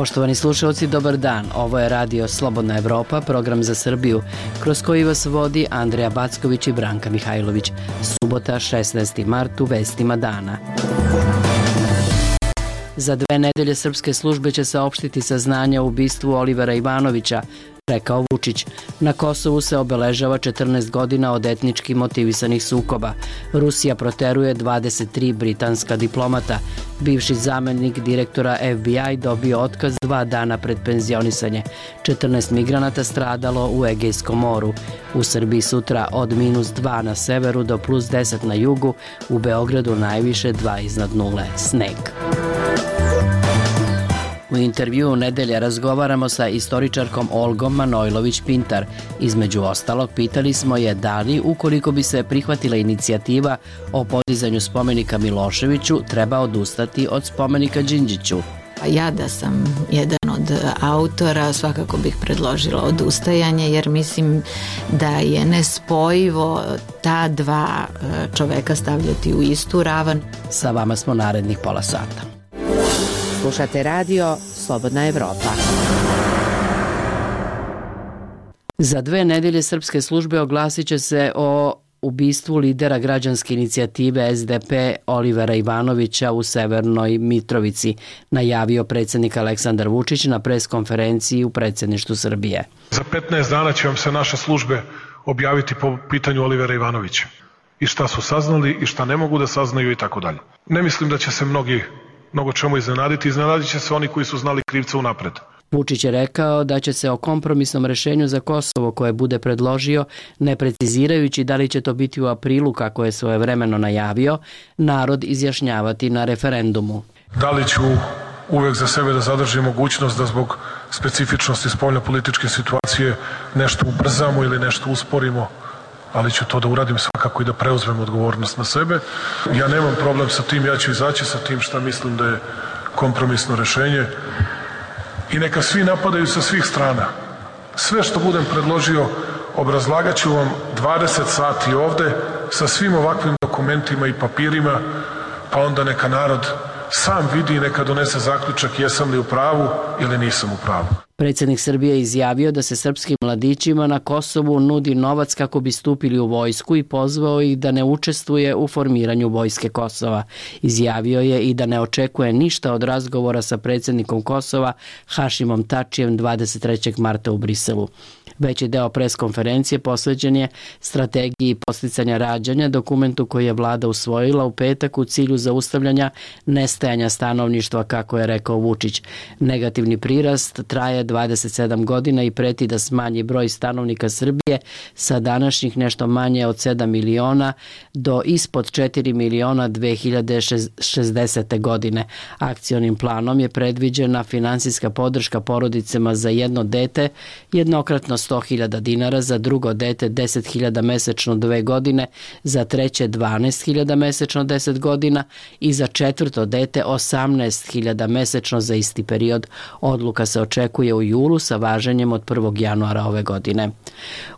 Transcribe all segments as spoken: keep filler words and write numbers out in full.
Poštovani slušalci, dobar dan. Ovo je radio Slobodna Evropa, program za Srbiju, kroz koji vas vodi Andreja Backović i Branka Mihajlović. Subota, šesnaesti mart, u vestima dana. Za dve nedelje srpske službe će saopštiti saznanja o ubistvu Olivera Ivanovića, rekao Vučić. Na Kosovu se obeležava četrnaest godina od etnički motivisanih sukoba. Rusija proteruje dvadeset tri britanska diplomata. Bivši zamenik direktora F B I dobio otkaz dva dana pred penzionisanje. četrnaest migranata stradalo u Egejskom moru. U Srbiji sutra od minus dva na severu do plus deset na jugu, u Beogradu najviše dva iznad nule. Sneg. U intervjuu nedelje razgovaramo sa istoričarkom Olgom Manojlović-Pintar. Između ostalog, pitali smo je da li, ukoliko bi se prihvatila inicijativa o podizanju spomenika Miloševiću, treba odustati od spomenika Đinđiću. Ja da sam jedan od autora, svakako bih predložila odustajanje, jer mislim da je nespojivo ta dva čoveka stavljati u istu ravan. Sa vama smo narednih pola sata. Slušate radio Slobodna Evropa. Za dve nedelje srpske službe oglasit će se o ubistvu lidera građanske inicijative S D P Olivera Ivanovića u Severnoj Mitrovici, najavio predsjednik Aleksandar Vučić na preskonferenciji u predsjedništvu Srbije. Za petnaest dana će vam se naše službe objaviti po pitanju Olivera Ivanovića. I šta su saznali i šta ne mogu da saznaju i tako dalje. Ne mislim da će se mnogi mnogo čemu iznenaditi, iznenadit će se oni koji su znali krivca unapred. Vučić je rekao da će se o kompromisnom rešenju za Kosovo koje bude predložio, ne precizirajući da li će to biti u aprilu kako je svojevremeno najavio, narod izjašnjavati na referendumu. Da li ću uvek za sebe da zadržim mogućnost da zbog specifičnosti spoljnopolitičke situacije nešto ubrzamo ili nešto usporimo, ali ću to da uradim svakako i da preuzmem odgovornost na sebe. Ja nemam problem sa tim, ja ću izaći sa tim šta mislim da je kompromisno rešenje i neka svi napadaju sa svih strana. Sve što budem predložio obrazlagat ću vam dvadeset sati ovde sa svim ovakvim dokumentima i papirima, pa onda neka narod sam vidi i neka donese zaključak jesam li u pravu ili nisam u pravu. Predsjednik Srbije izjavio da se srpskim mladićima na Kosovu nudi novac kako bi stupili u vojsku i pozvao ih da ne učestvuje u formiranju vojske Kosova. Izjavio je i da ne očekuje ništa od razgovora sa predsjednikom Kosova Hašimom Tačijem dvadeset trećeg marta u Briselu. Veći deo preskonferencije posvećen je strategiji podsticanja rađanja, dokumentu koji je vlada usvojila u petak u cilju zaustavljanja nestajanja stanovništva, kako je rekao Vučić. Negativni prirast traje dvadeset sedam godina i preti da smanji broj stanovnika Srbije sa današnjih nešto manje od sedam miliona do ispod četiri miliona dve hiljade šezdesete. godine. Akcionim planom je predviđena finansijska podrška porodicama za jedno dete, jednokratno sto hiljada dinara, za drugo dete deset hiljada mesečno dve godine, za treće dvanaest hiljada mesečno deset godina i za četvrto dete osamnaest hiljada mesečno za isti period. Odluka se očekuje u julu sa važenjem od prvog januara ove godine.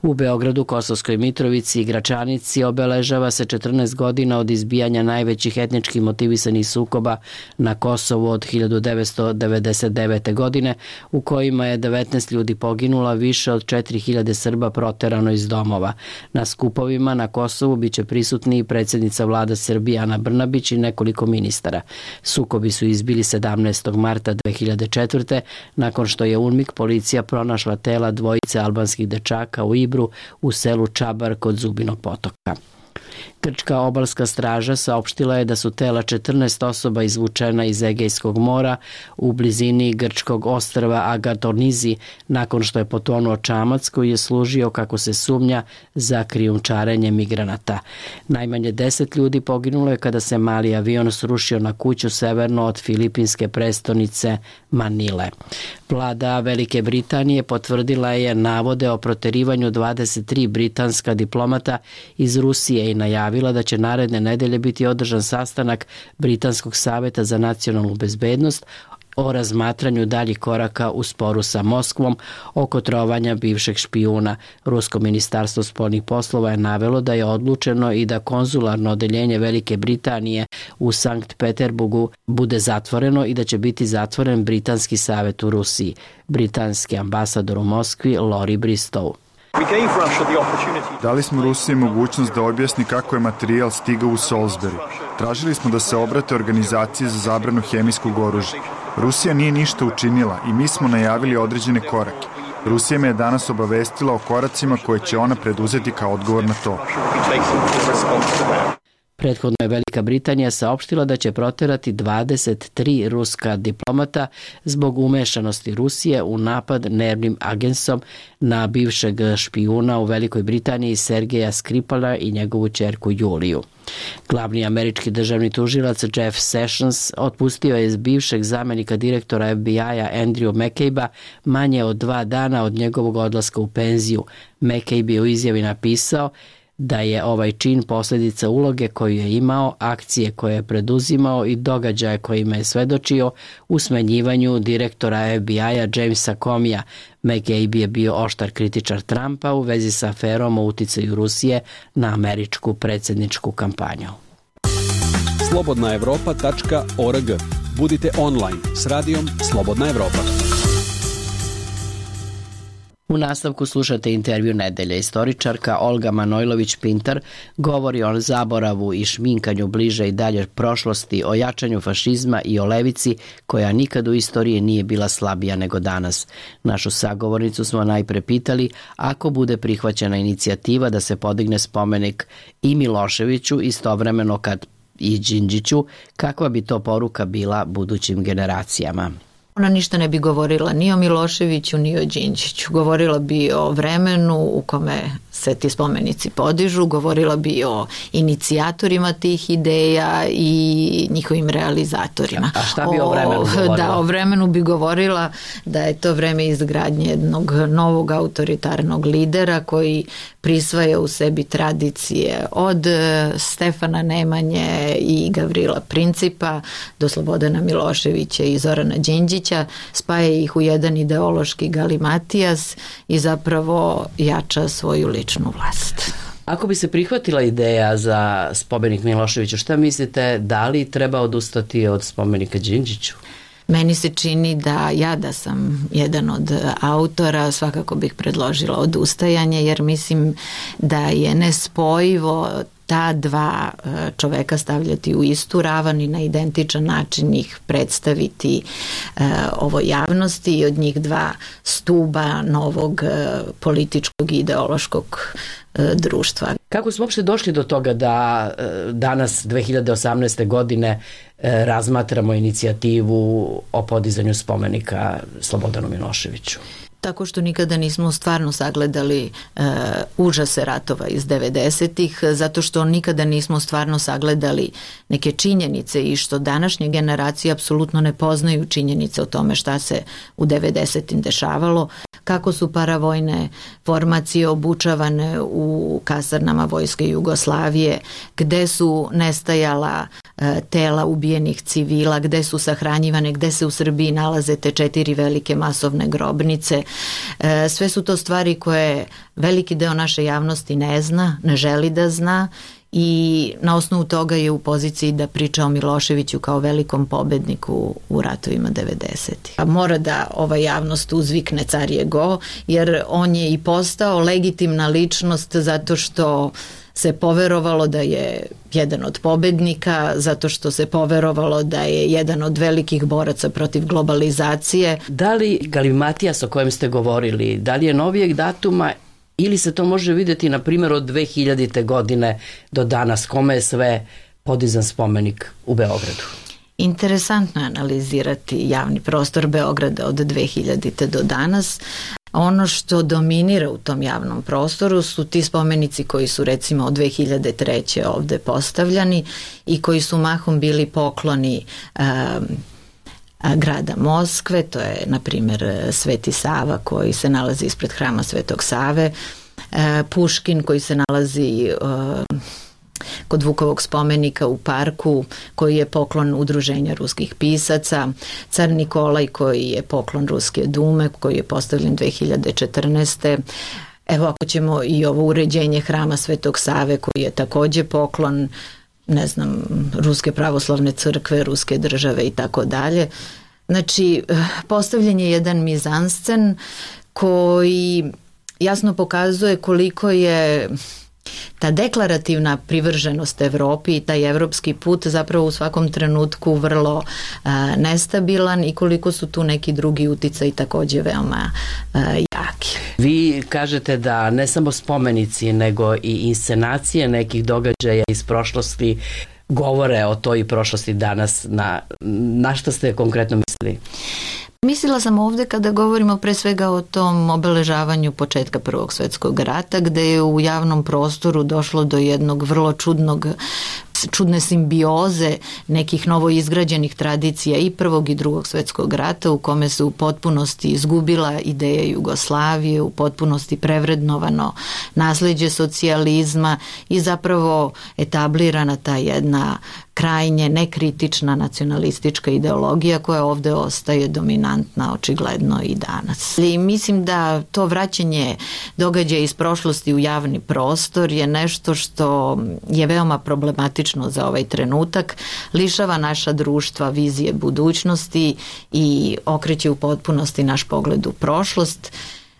U Beogradu, Kosovskoj Mitrovici i Gračanici obeležava se četrnaest godina od izbijanja najvećih etnički motivisanih sukoba na Kosovu od hiljadu devetsto devedeset devete. godine, u kojima je devetnaest ljudi poginula, više od četiri hiljade Srba proterano iz domova. Na skupovima na Kosovu biće prisutni i predsjednica vlada Srbije Ana Brnabić i nekoliko ministara. Sukobi su izbili sedamnaestog marta dve hiljade četvrte. nakon što je UNMIK policija pronašla tela dvojice albanskih dečaka u Ibru u selu Čabar kod Zubinog potoka. Grčka obalska straža saopštila je da su tela četrnaest osoba izvučena iz Egejskog mora u blizini grčkog ostrva Agatonizi nakon što je potonuo čamac koji je služio, kako se sumnja, za krijumčarenje migranata. Najmanje deset ljudi poginulo je kada se mali avion srušio na kuću severno od filipinske prestonice Manile. Vlada Velike Britanije potvrdila je navode o proterivanju dvadeset tri britanska diplomata iz Rusije i najavila da će naredne nedelje biti održan sastanak Britanskog saveta za nacionalnu bezbednost o razmatranju daljih koraka u sporu sa Moskvom oko trovanja bivšeg špijuna. Rusko ministarstvo spoljnih poslova je navelo da je odlučeno i da konzularno odeljenje Velike Britanije u Sankt Peterburgu bude zatvoreno i da će biti zatvoren Britanski savet u Rusiji. Britanski ambasador u Moskvi Lori Bristow. Dali smo Rusiji mogućnost da objasni kako je materijal stigao u Salisbury. Tražili smo da se obrate organizaciji za zabranu hemijskog oružja. Rusija nije ništa učinila i mi smo najavili određene korake. Rusija me je danas obavestila o koracima koje će ona preduzeti kao odgovor na to. Prethodno je Velika Britanija saopštila da će proterati dvadeset tri ruska diplomata zbog umešanosti Rusije u napad nervnim agensom na bivšeg špijuna u Velikoj Britaniji Sergeja Skripala i njegovu ćerku Juliju. Glavni američki državni tužilac Jeff Sessions otpustio je iz bivšeg zamenika direktora F B I-a Andrew McCabe-a manje od dva dana od njegovog odlaska u penziju. McCabe je u izjavi napisao da je ovaj čin posljedica uloge koju je imao, akcije koje je preduzimao i događaje kojima je svedočio u smenjivanju direktora F B I-a Jamesa Comeyja. McCabe je bio oštar kritičar Trumpa u vezi sa aferom o uticaju Rusije na američku predsjedničku kampanju. slobodna evropa tačka org. Budite online s radijom Slobodna Evropa. U nastavku slušate intervju nedelje. Istoričarka Olga Manojlović-Pintar govori o zaboravu i šminkanju bliže i dalje prošlosti, o jačanju fašizma i o levici koja nikad u istoriji nije bila slabija nego danas. Našu sagovornicu smo najpre pitali ako bude prihvaćena inicijativa da se podigne spomenik i Miloševiću istovremeno kad i Đinđiću, kakva bi to poruka bila budućim generacijama. Ona ništa ne bi govorila ni o Miloševiću, ni o Đinđiću. Govorila bi o vremenu u kome se ti spomenici podižu, govorila bi o inicijatorima tih ideja i njihovim realizatorima. A šta bi o, o vremenu govorila? Da, o vremenu bi govorila da je to vreme izgradnje jednog novog autoritarnog lidera koji prisvaja u sebi tradicije od Stefana Nemanje i Gavrila Principa do Slobodana Miloševića i Zorana Đinđića, spaja ih u jedan ideološki galimatijas i zapravo jača svoju ličnu vlast. Ako bi se prihvatila ideja za spomenik Miloševiću, šta mislite, da li treba odustati od spomenika Đinđiću? Meni se čini da ja da sam jedan od autora svakako bih predložila odustajanje, jer mislim da je nespojivo ta dva čoveka stavljati u istu ravan i na identičan način ih predstaviti e, ovoj javnosti i od njih dva stuba novog e, političkog i ideološkog e, društva. Kako smo uopšte došli do toga da e, danas dve hiljade osamnaeste godine e, razmatramo inicijativu o podizanju spomenika Slobodanu Miloševiću? Tako što nikada nismo stvarno sagledali e, užase ratova iz devedesetih, zato što nikada nismo stvarno sagledali neke činjenice i što današnje generacije apsolutno ne poznaju činjenice o tome šta se u devedesetim dešavalo, kako su paravojne formacije obučavane u kasarnama Vojske Jugoslavije, gde su nestajala e, tela ubijenih civila, gde su sahranjivane, gde se u Srbiji nalaze te četiri velike masovne grobnice. E, sve su to stvari koje veliki deo naše javnosti ne zna, ne želi da zna i na osnovu toga je u poziciji da priča o Miloševiću kao velikom pobedniku u ratovima devedesetih. A mora da ova javnost uzvikne car je go, jer on je i postao legitimna ličnost zato što se poverovalo da je jedan od pobednika, zato što se poverovalo da je jedan od velikih boraca protiv globalizacije. Da li galimatijas o kojem ste govorili, da li je novijeg datuma ili se to može vidjeti na primjer od dve hiljadite godine do danas, kome je sve podizan spomenik u Beogradu? Interesantno je analizirati javni prostor Beograda od dve hiljadite do danas. Ono što dominira u tom javnom prostoru su ti spomenici koji su recimo od dve hiljade treće ovde postavljani i koji su mahom bili pokloni um, grada Moskve, to je na primjer Sveti Sava koji se nalazi ispred hrama Svetog Save, Puškin koji se nalazi kod Vukovog spomenika u parku koji je poklon udruženja ruskih pisaca, car Nikolaj koji je poklon Ruske dume koji je postavljen dve hiljade četrnaeste. Evo ako ćemo i ovo uređenje hrama Svetog Save koji je takođe poklon ne znam, Ruske pravoslavne crkve, Ruske države i tako dalje. Znači, postavljen je jedan mizanscen koji jasno pokazuje koliko je ta deklarativna privrženost Evropi i taj evropski put zapravo u svakom trenutku vrlo a, nestabilan i koliko su tu neki drugi uticaji takođe veoma a, jaki. Vi kažete da ne samo spomenici nego i inscenacije nekih događaja iz prošlosti govore o toj prošlosti danas. Na, na što ste konkretno mislili? Mislila sam ovde kada govorimo pre svega o tom obeležavanju početka Prvog svetskog rata, gde je u javnom prostoru došlo do jednog vrlo čudnog čudne simbioze nekih novoizgrađenih tradicija i Prvog i Drugog svetskog rata, u kome se u potpunosti izgubila ideja Jugoslavije, u potpunosti prevrednovano nasleđe socijalizma i zapravo etablirana ta jedna krajnje nekritična nacionalistička ideologija koja ovde ostaje dominantna očigledno i danas. I mislim da to vraćanje događaja iz prošlosti u javni prostor je nešto što je veoma problematično za ovaj trenutak, lišava naša društva vizije budućnosti i okreće u potpunosti naš pogled u prošlost,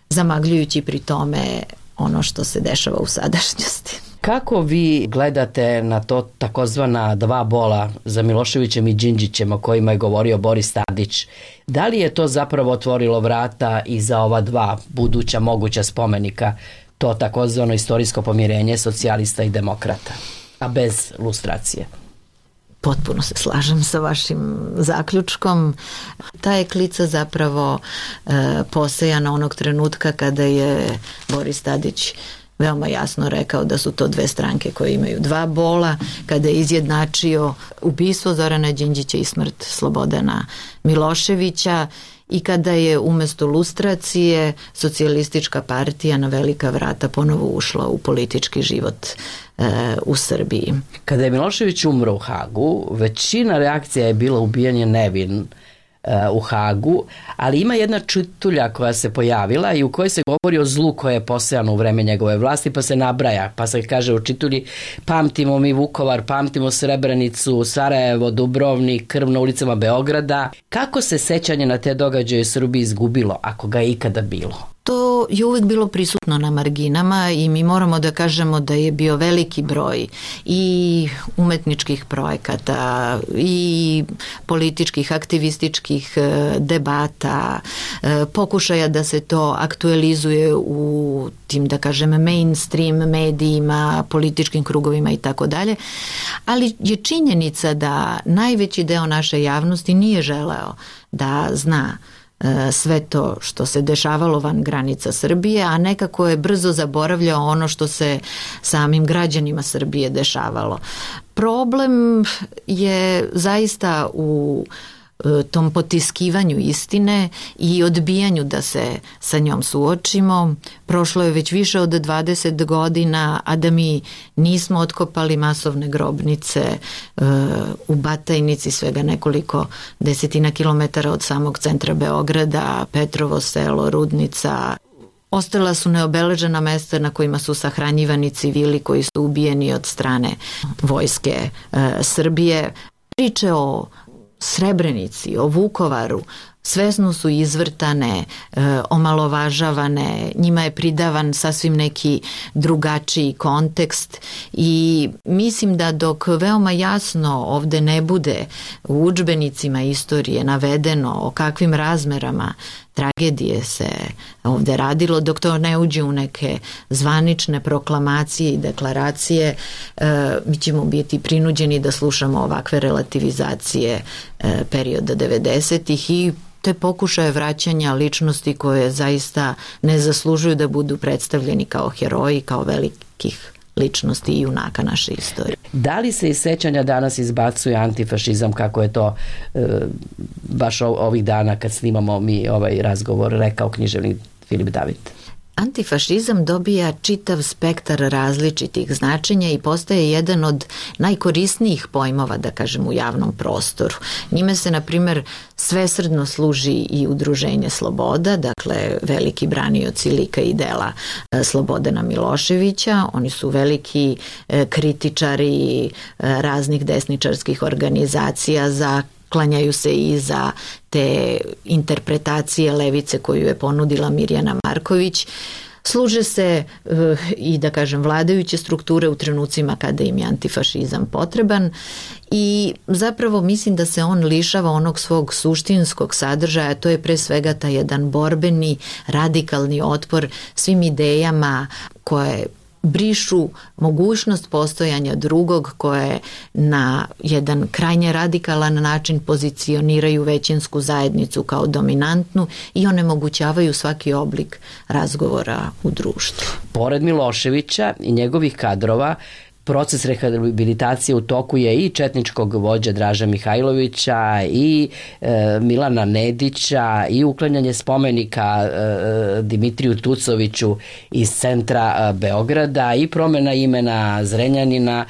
zamagljujući pri tome ono što se dešava u sadašnjosti. Kako vi gledate na to takozvana dva bola za Miloševićem i Đinđićem o kojima je govorio Boris Tadić? Da li je to zapravo otvorilo vrata i za ova dva buduća moguća spomenika, to takozvano istorijsko pomirenje socijalista i demokrata, a bez lustracije? Potpuno se slažem sa vašim zaključkom. Ta je klica zapravo e, posejana onog trenutka kada je Boris Tadić veoma jasno rekao da su to dve stranke koje imaju dva bola, kada je izjednačio ubistvo Zorana Đinđića i smrt Slobodana Miloševića i kada je umesto lustracije socijalistička partija na velika vrata ponovo ušla u politički život e, u Srbiji. Kada je Milošević umro u Hagu, većina reakcija je bila ubijanje nevin u Hagu, ali ima jedna čitulja koja se pojavila i u kojoj se govori o zlu koje je posejano u vreme njegove vlasti, pa se nabraja, pa se kaže u čitulji: pamtimo mi Vukovar, pamtimo Srebrenicu, Sarajevo, Dubrovnik, krv na ulicama Beograda. Kako se sećanje na te događaje u Srbiji izgubilo, ako ga je ikada bilo? To je uvek bilo prisutno na marginama i mi moramo da kažemo da je bio veliki broj i umetničkih projekata i političkih, aktivističkih debata, pokušaja da se to aktualizuje u tim, da kažem, mainstream medijima, političkim krugovima i tako dalje, ali je činjenica da najveći deo naše javnosti nije želeo da zna sve to što se dešavalo van granica Srbije, a nekako je brzo zaboravljao ono što se samim građanima Srbije dešavalo. Problem je zaista u tom potiskivanju istine i odbijanju da se sa njom suočimo. Prošlo je već više od dvadeset godina, a da mi nismo otkopali masovne grobnice u Batajnici, svega nekoliko desetina kilometara od samog centra Beograda, Petrovo selo, Rudnica. Ostala su neobeležena mesta na kojima su sahranjivani civili koji su ubijeni od strane vojske Srbije. Priče o Srebrenici, o Vukovaru, svesno su izvrtane, e, omalovažavane, njima je pridavan sasvim neki drugačiji kontekst i mislim da dok veoma jasno ovde ne bude u udžbenicima istorije navedeno o kakvim razmerama tragedije se ovde radilo, dok to ne uđe u neke zvanične proklamacije i deklaracije, e, mi ćemo biti prinuđeni da slušamo ovakve relativizacije e, perioda devedesetih i te pokušaje vraćanja ličnosti koje zaista ne zaslužuju da budu predstavljeni kao heroji, kao velikih ličnosti i junaka naše istorije. Da li se iz sećanja danas izbacuje antifašizam, kako je to e, baš ovih dana kad snimamo mi ovaj razgovor rekao književnik Filip David? Antifašizam dobija čitav spektar različitih značenja i postaje jedan od najkorisnijih pojmova, da kažem, u javnom prostoru. Njime se, na primjer, svesrdno služi i Udruženje Sloboda, dakle veliki branioci lika i dela Slobodana Miloševića. Oni su veliki kritičari raznih desničarskih organizacija, za klanjaju se i za te interpretacije levice koju je ponudila Mirjana Marković. Služe se e, i, da kažem, vladajuće strukture u trenucima kada im je antifašizam potreban i zapravo mislim da se on lišava onog svog suštinskog sadržaja, to je pre svega taj jedan borbeni, radikalni otpor svim idejama koje brišu mogućnost postojanja drugog, koje na jedan krajnje radikalan način pozicioniraju većinsku zajednicu kao dominantnu i onemogućavaju svaki oblik razgovora u društvu. Pored Miloševića i njegovih kadrova, proces rehabilitacije u toku je i četničkog vođa Draža Mihajlovića i e, Milana Nedića i uklanjanje spomenika e, Dimitriju Tucoviću iz centra e, Beograda i promena imena Zrenjanina.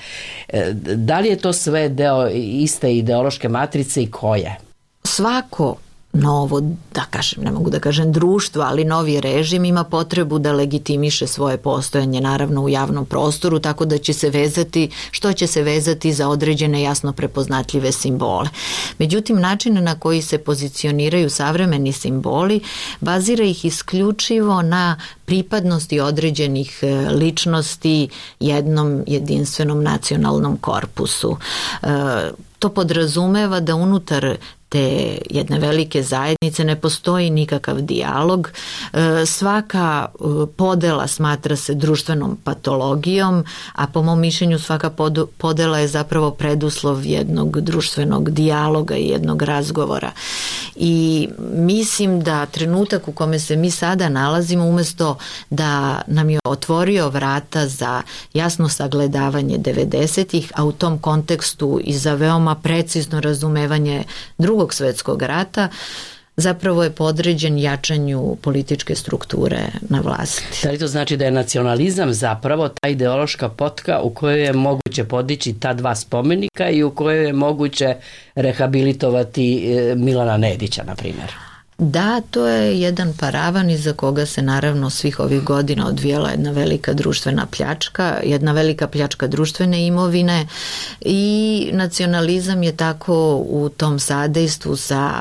E, da li je to sve deo iste ideološke matrice i koje? Svako novo, da kažem, ne mogu da kažem društvo, ali novi režim ima potrebu da legitimiše svoje postojanje, naravno u javnom prostoru, tako da će se vezati, što će se vezati za određene jasno prepoznatljive simbole. Međutim, način na koji se pozicioniraju savremeni simboli bazira ih isključivo na pripadnosti određenih ličnosti jednom jedinstvenom nacionalnom korpusu. E, to podrazumeva da unutar te jedne velike zajednice ne postoji nikakav dijalog. Svaka podela smatra se društvenom patologijom, a po mom mišljenju svaka podela je zapravo preduslov jednog društvenog dijaloga i jednog razgovora. I mislim da trenutak u kome se mi sada nalazimo, umesto da nam je otvorio vrata za jasno sagledavanje devedesetih, a u tom kontekstu i za veoma precizno razumevanje drugog svetskog rata, zapravo je podređen jačanju političke strukture na vlasti. Da li to znači da je nacionalizam zapravo ta ideološka potka u kojoj je moguće podići ta dva spomenika i u kojoj je moguće rehabilitovati Milana Nedića, na primjer? Da, to je jedan paravan iza koga se naravno svih ovih godina odvijela jedna velika društvena pljačka, jedna velika pljačka društvene imovine i nacionalizam je tako u tom sadejstvu sa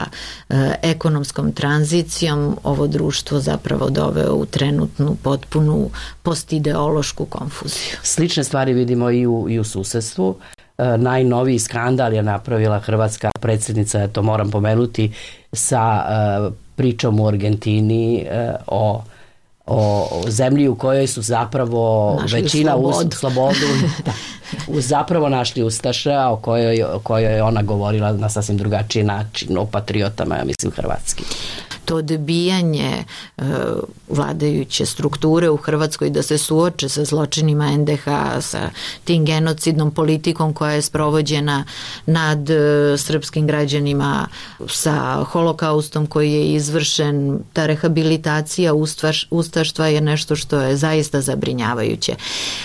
e, ekonomskom tranzicijom ovo društvo zapravo doveo u trenutnu potpunu postideološku konfuziju. Slične stvari vidimo i u, i u susedstvu. E, najnoviji skandal je napravila hrvatska predsjednica, to moram pomenuti, sa e, pričom u Argentini e, o, o zemlji u kojoj su zapravo našli većina slobodu, us, slobodu da, u zapravo našli ustaše, a o kojoj, o kojoj je ona govorila na sasvim drugačiji način, o patriotama, ja mislim, hrvatski. To odbijanje e, vladajuće strukture u Hrvatskoj da se suoče sa zločinima en de ha, sa tim genocidnom politikom koja je sprovođena nad e, srpskim građanima, sa holokaustom koji je izvršen, ta rehabilitacija ustaš, ustaštva je nešto što je zaista zabrinjavajuće.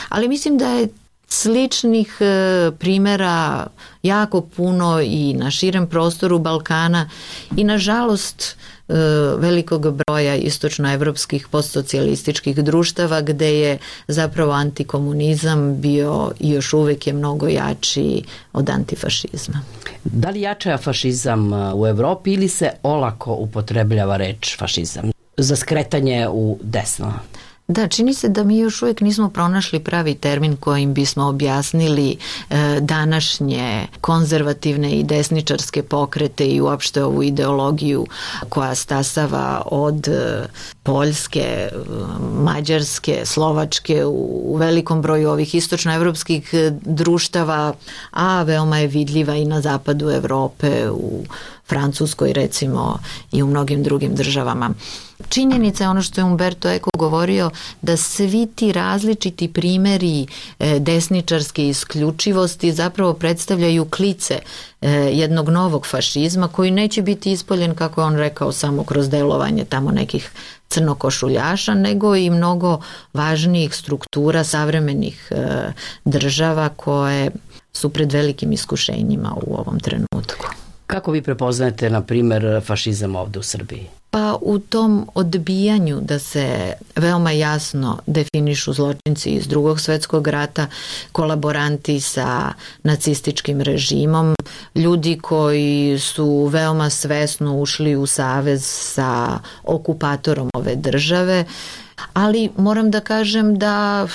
Ali mislim da je sličnih e, primjera jako puno i na širem prostoru Balkana i nažalost e, velikog broja istočnoevropskih postsocijalističkih društava gde je zapravo antikomunizam bio i još uvijek je mnogo jači od antifašizma. Da li jača fašizam u Evropi ili se olako upotrebljava reč fašizam za skretanje u desno? Da, čini se da mi još uvijek nismo pronašli pravi termin kojim bismo objasnili e, današnje konzervativne i desničarske pokrete i uopšte ovu ideologiju koja stasava od e, Poljske, Mađarske, Slovačke u, u velikom broju ovih istočnoevropskih društava, a veoma je vidljiva i na zapadu Evrope, u Francuskoj recimo i u mnogim drugim državama. Činjenica je ono što je Umberto Eco govorio, da svi ti različiti primjeri desničarske isključivosti zapravo predstavljaju klice jednog novog fašizma koji neće biti ispoljen, kako je on rekao, samo kroz delovanje tamo nekih crnokošuljaša, nego i mnogo važnijih struktura savremenih država koje su pred velikim iskušenjima u ovom trenutku. Kako vi prepoznajete, na primjer, fašizam ovdje u Srbiji? Pa u tom odbijanju da se veoma jasno definišu zločinci iz Drugog svjetskog rata, kolaboranti sa nacističkim režimom, ljudi koji su veoma svesno ušli u savez sa okupatorom ove države, ali moram da kažem da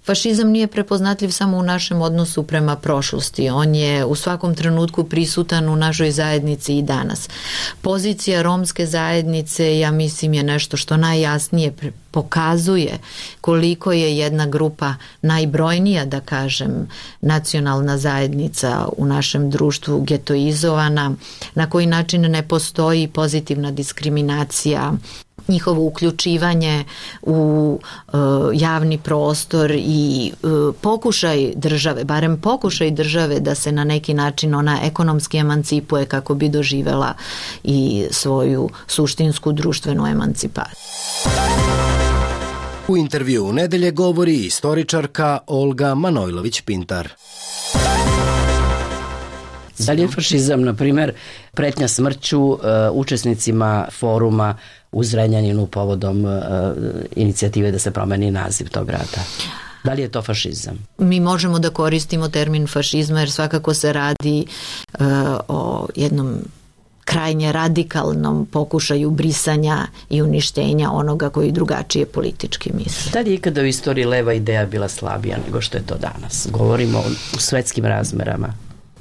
fašizam nije prepoznatljiv samo u našem odnosu prema prošlosti. On je u svakom trenutku prisutan u našoj zajednici i danas. Pozicija romske zajednice, ja mislim, je nešto što najjasnije pokazuje koliko je jedna grupa najbrojnija, da kažem, nacionalna zajednica u našem društvu getoizovana, na koji način ne postoji pozitivna diskriminacija, njihovo uključivanje u e, javni prostor i e, pokušaj države, barem pokušaj države da se na neki način ona ekonomski emancipuje kako bi doživela i svoju suštinsku društvenu emancipaciju. U intervju u nedelje govori istoričarka Olga Manojlović-Pintar. Da li je fašizam, na primjer, pretnja smrću uh, učesnicima foruma u Zrenjaninu povodom uh, inicijative da se promeni naziv tog grada? Da li je to fašizam? Mi možemo da koristimo termin fašizma jer svakako se radi uh, o jednom krajnje radikalnom pokušaju brisanja i uništenja onoga koji drugačije politički misli. Da li je ikada u istoriji leva ideja bila slabija nego što je to danas? Govorimo u svetskim razmerama.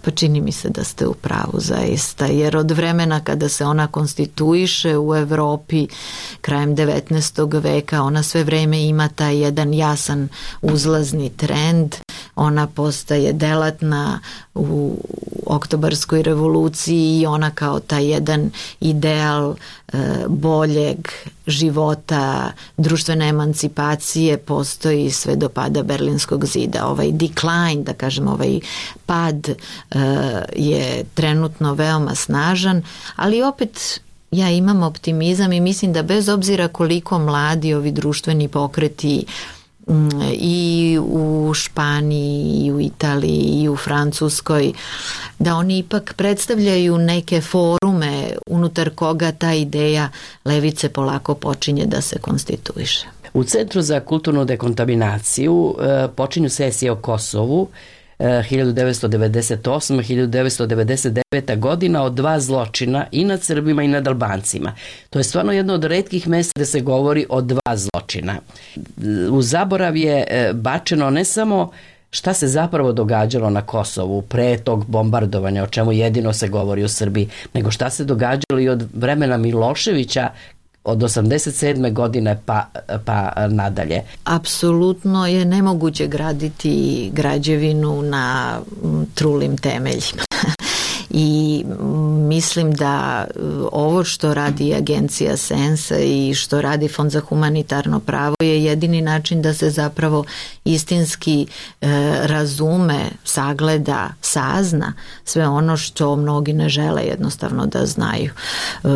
Pa čini mi se da ste u pravu zaista, jer od vremena kada se ona konstituiše u Evropi krajem devetnaestog veka, ona sve vreme ima taj jedan jasan uzlazni trend, ona postaje delatna u oktobarskoj revoluciji i ona kao taj jedan ideal e, boljeg života, društvene emancipacije postoji sve do pada Berlinskog zida. Ovaj decline, da kažem, ovaj pad e, je trenutno veoma snažan, ali opet ja imam optimizam i mislim da bez obzira koliko mladi ovi društveni pokreti i u Španiji, i u Italiji, i u Francuskoj, da oni ipak predstavljaju neke forume unutar koga ta ideja levice polako počinje da se konstituiše. U Centru za kulturnu dekontaminaciju počinju sesije o Kosovu hiljadu devetsto devedeset osme. hiljadu devetsto devedeset devete. godina od dva zločina i nad Srbima i nad Albancima. To je stvarno jedno od retkih mesta gde se govori o dva zločina. U zaborav je bačeno ne samo šta se zapravo događalo na Kosovu pre tog bombardovanja, o čemu jedino se govori u Srbiji, nego šta se događalo i od vremena Miloševića od osamdeset sedme godine pa, pa nadalje. Apsolutno je nemoguće graditi građevinu na trulim temeljima. I mislim da ovo što radi agencija Sensa i što radi Fond za humanitarno pravo je jedini način da se zapravo istinski e, razume, sagleda, sazna sve ono što mnogi ne žele jednostavno da znaju. E,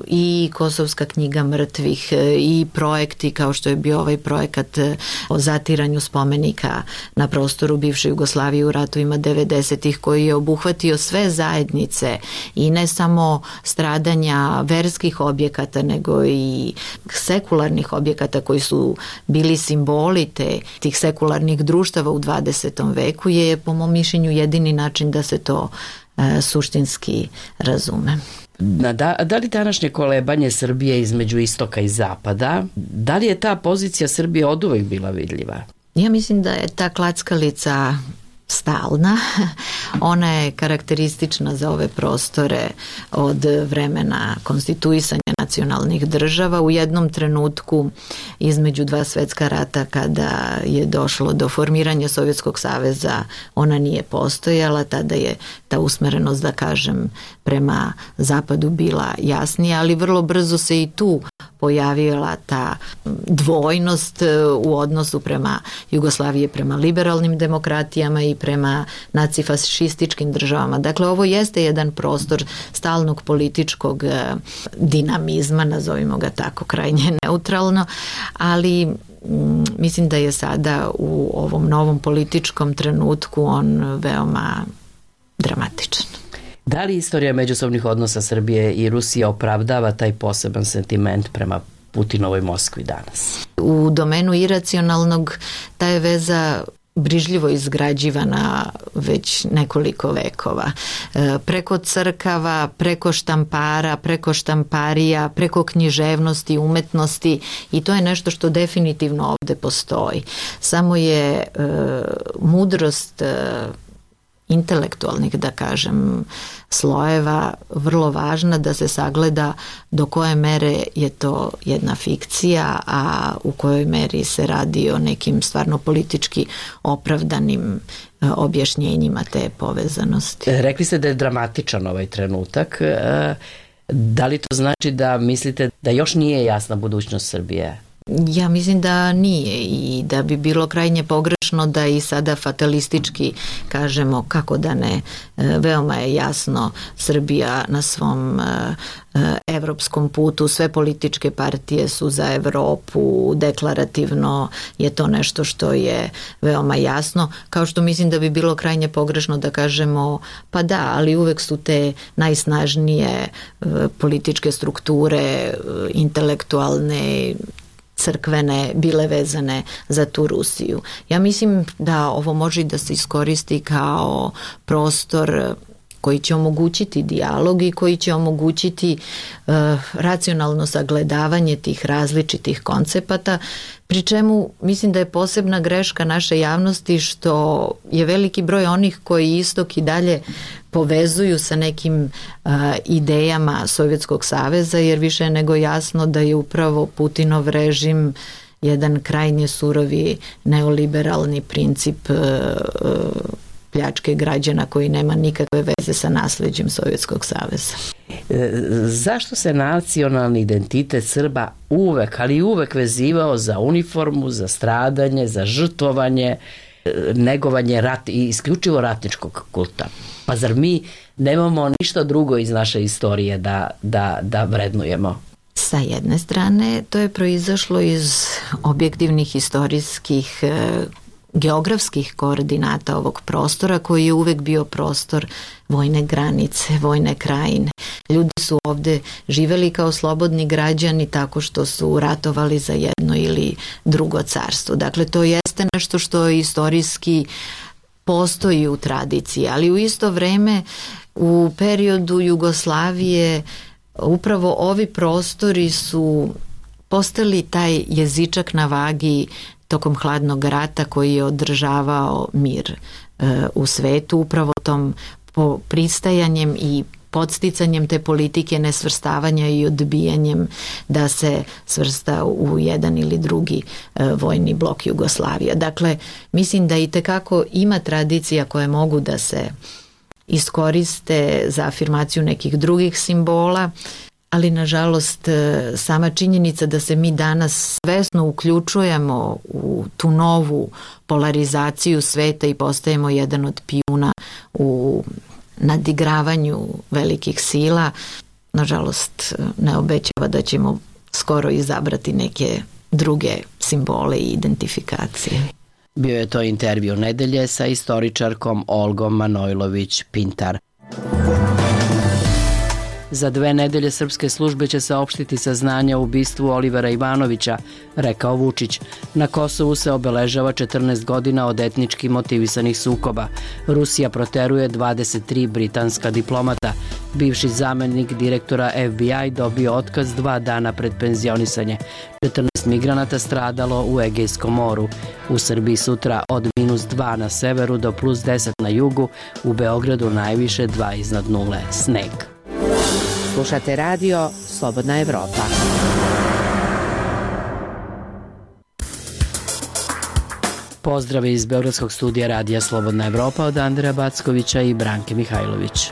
I Kosovska knjiga mrtvih e, i projekti kao što je bio ovaj projekat o zatiranju spomenika na prostoru bivše Jugoslavije u ratovima devedesetih koji je obuhvatio sve zajednice i ne samo stradanja verskih objekata nego i sekularnih objekata koji su bili simboli te, tih sekularnih društava u dvadesetom veku je po mom mišljenju jedini način da se to e, suštinski razume. Da, da li današnje kolebanje Srbije između istoka i zapada, da li je ta pozicija Srbije oduvek bila vidljiva? Ja mislim da je ta klackalica stalna. Ona je karakteristična za ove prostore od vremena konstituisanja nacionalnih država. U jednom trenutku između dva svetska rata kada je došlo do formiranja Sovjetskog saveza ona nije postojala, tada je ta usmerenost, da kažem, prema zapadu bila jasnija, ali vrlo brzo se i tu pojavila ta dvojnost u odnosu prema Jugoslavije, prema liberalnim demokratijama i prema nacifašističkim državama. Dakle, ovo jeste jedan prostor stalnog političkog dinamizma, nazovimo ga tako, krajnje neutralno, ali mislim da je sada u ovom novom političkom trenutku on veoma dramatičan. Da li istorija međusobnih odnosa Srbije i Rusije opravdava taj poseban sentiment prema Putinovoj Moskvi danas? U domenu iracionalnog ta je veza brižljivo izgrađivana već nekoliko vekova. E, preko crkava, preko štampara, preko štamparija, preko književnosti, umetnosti, i to je nešto što definitivno ovde postoji. Samo je e, mudrost e, intelektualnih, da kažem, slojeva vrlo važna da se sagleda do koje mere je to jedna fikcija, a u kojoj meri se radi o nekim stvarno politički opravdanim objašnjenjima te povezanosti. Rekli ste da je dramatičan ovaj trenutak. Da li to znači da mislite da još nije jasna budućnost Srbije? Ja mislim da nije i da bi bilo krajnje pogrešno da i sada fatalistički kažemo kako da ne. Veoma je jasno, Srbija na svom evropskom putu, sve političke partije su za Evropu, deklarativno je to nešto što je veoma jasno, kao što mislim da bi bilo krajnje pogrešno da kažemo pa da, ali uvek su te najsnažnije političke strukture, intelektualne, crkvene bile vezane za tu Rusiju. Ja mislim da ovo može i da se iskoristi kao prostor koji će omogućiti dijalog i koji će omogućiti uh, racionalno sagledavanje tih različitih koncepata, pri čemu mislim da je posebna greška naše javnosti što je veliki broj onih koji istok i dalje povezuju sa nekim uh, idejama Sovjetskog saveza, jer više je nego jasno da je upravo Putinov režim jedan krajnje surovi neoliberalni princip uh, uh, pljačke građana koji nema nikakve veze sa nasleđem Sovjetskog saveza. E, zašto se nacionalni identitet Srba uvek, ali uvek vezivao za uniformu, za stradanje, za žrtvovanje, negovanje rat i isključivo ratničkog kulta? Pa zar mi nemamo ništa drugo iz naše istorije da, da, da vrednujemo? Sa jedne strane, to je proizašlo iz objektivnih historijskih geografskih koordinata ovog prostora koji je uvek bio prostor vojne granice, vojne krajine. Ljudi su ovde živeli kao slobodni građani tako što su ratovali za jedno ili drugo carstvo. Dakle, to jeste nešto što istorijski postoji u tradiciji, ali u isto vreme u periodu Jugoslavije upravo ovi prostori su postali taj jezičak na vagi tokom hladnog rata koji je održavao mir e, u svetu, upravo tom po pristajanjem i podsticanjem te politike nesvrstavanja i odbijanjem da se svrsta u jedan ili drugi e, vojni blok Jugoslavija. Dakle, mislim da i tekako ima tradicija koje mogu da se iskoriste za afirmaciju nekih drugih simbola, ali nažalost sama činjenica da se mi danas svesno uključujemo u tu novu polarizaciju sveta i postajemo jedan od pijuna u nadigravanju velikih sila, nažalost ne obećava da ćemo skoro izabrati neke druge simbole i identifikacije. Bio je to intervju nedelje sa istoričarkom Olgom Manojlović-Pintar. Za dve nedelje srpske službe će saopštiti saznanja o ubistvu Olivera Ivanovića, rekao Vučić. Na Kosovu se obeležava četrnaest godina od etnički motivisanih sukoba. Rusija proteruje dvadeset tri britanska diplomata. Bivši zamenik direktora F B I dobio otkaz dva dana pred penzionisanje. četrnaest migranata stradalo u Egejskom moru. U Srbiji sutra od minus dva na severu do plus deset na jugu, u Beogradu najviše dva iznad nule. Sneg. Slušate radio Slobodna Evropa. Pozdrave iz Beogradskog studija Radija Slobodna Evropa od Andreja Backovića i Branke Mihajlović.